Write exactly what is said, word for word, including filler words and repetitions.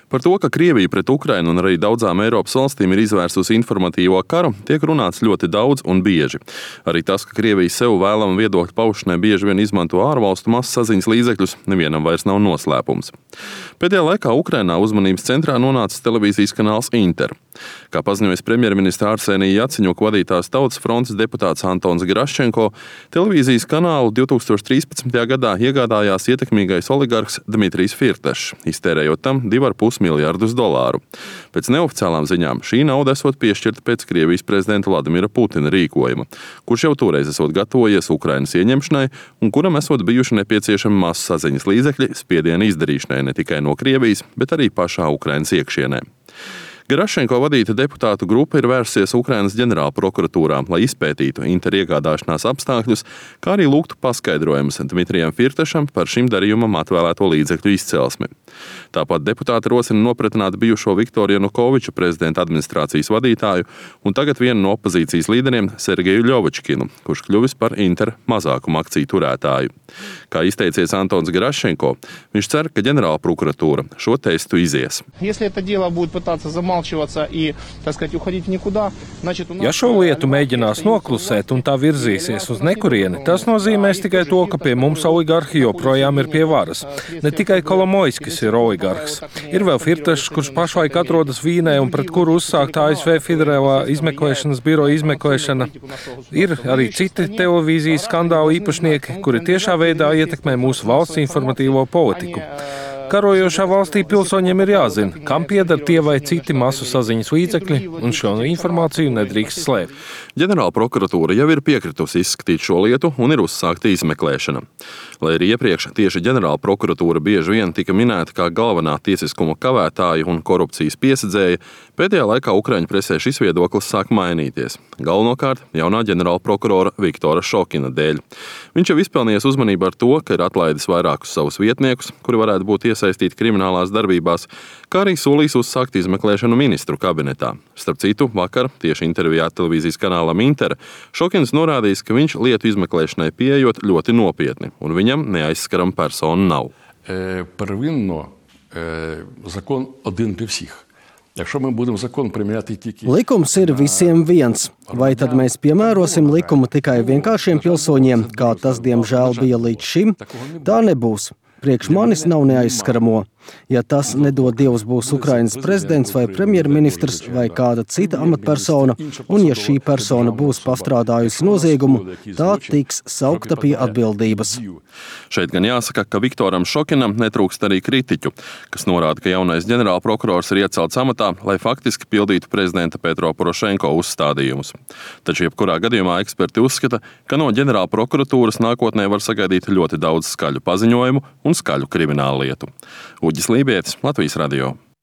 Par to, ka Krievija pret Ukrainu un arī daudzām Eiropas valstīm ir izvērsusi informatīvo karu, tiek runāts ļoti daudz un bieži. Arī tas, ka Krievija sev vēlama viedokļu paušanai bieži vien izmanto ārvalstu masasaziņas līdzekļus, nevienam vairs nav noslēpums. Pēdējā laikā Ukrainā uzmanības centrā nonācis televīzijas kanāls Inter. Kā paziņojas premjerministra Arsenija Jaceņuka vadītās Tautas frontes deputāts Antons Geraščenko, televīzijas kanālu divtūkstoš trīspadsmitajā gadā iegādājās ietekmīgais oligarhs Dmitrijs Firtašs, iztērējot tam divi ar pus miljardus dolāru. Pēc neoficiālām ziņām šī nauda esot piešķirta pēc Krievijas prezidenta Vladimira Putina rīkojuma, kurš jau toreiz esot gatavojies Ukrainas ieņemšanai un kuram esot bijuši nepieciešami masu saziņas līdzekļi spiediena izdarīšanai ne tikai no Krievijas, bet arī pašā Ukrainas iekšienē. Geraščenko vadīta deputātu grupa ir vērsies Ukrainas ģenerālprokuratūrā, lai izpētītu Inter iegādāšanās apstākļus, kā arī lūgtu paskaidrojumus Dmitrijam Firtašam par šim darījumam atvēlēto līdzekļu izcelsmi. Tāpat deputāti rosina nopratināt bijušo Viktoru Janukoviču prezidenta administrācijas vadītāju un tagad vienu no opozīcijas līderiem Sergeju Ļovačkinu, kurš kļuvis par Inter mazākuma akciju turētāju. Kā izteicies Antons Geraščenko, viņš cer, ka ģenerālprokuratūra šo testu izies. Ja šo lietu mēģinās noklusēt un tā virzīsies uz nekurieni, tas nozīmēs tikai to, ka pie mums oligarhi joprojām ir pie varas. Ne tikai Kolomoiskis ir oligarhs. Ir vēl Firtašs, kurš pašlaik atrodas Vīnē un pret kuru uzsākta A S V Federālā izmeklēšanas biroja izmeklēšana. Ir arī citi televīzijas skandālu īpašnieki, kuri tiešā veidā ietekmē mūsu valsts informatīvo politiku. Karojošā valstī pilsoņiem ir jāzina, kam pieder tie vai citi masu saziņas līdzekļi, un šo informāciju nedrīkst slēpt. Ģenerālprokuratūra jau ir piekritusi izskatīt šo lietu un ir uzsākta izmeklēšana. Lai arī iepriekš tieši ģenerālprokuratūra bieži vien tika minēta kā galvenā tiesiskuma kavētāja un korupcijas piesedzēja, pēdējā laikā Ukraiņu presē šis viedoklis sāk mainīties. Galvenokārt jaunā ģenerālprokurora Viktora Šokina dēļ. Viņš jau izpelnījies uzmanību ar to, ka ir atlaidis vairākus savus vietniekus, kuri varētu būt iesaistīti kriminālās darbībās, kā arī solījis uzsākt izmeklēšanu ministru kabinetā. Starp citu, vakar tieši intervijā televīzijas kanālam Inter Šokins norādījis, ka viņš lietu izmeklēšanai pieejot ļoti nopietni, un viņam neaizskaram personu nav. E, первинно e, закон один для всіх. Якщо ми будемо закон приміняти тільки... Likums ir visiem viens. Vai tad mēs piemērosim likumu tikai vienkāršiem pilsoņiem, kā tas, diemžēl, bija līdz šim? Tā nebūs. Priekš manis nav neaizskaramo. Ja tas, nedod Dievs, būs Ukrainas prezidents vai premjerministrs vai kāda cita amatpersona, un ja šī persona būs pastrādājusi noziegumu, tā tiks saukta pie atbildības. Šeit gan jāsaka, ka Viktoram Šokinam netrūkst arī kritiķu, kas norāda, ka jaunais ģenerālprokurors ir iecelts amatā, lai faktiski pildītu prezidenta Petro Porošenko uzstādījumus. Taču jebkurā gadījumā eksperti uzskata, ka no ģenerālprokuratūras nākotnē var sagaidīt ļoti daudz skaļu paziņojumu un skaļu kriminālu lietu. Uģis Lībietis, Latvijas radio.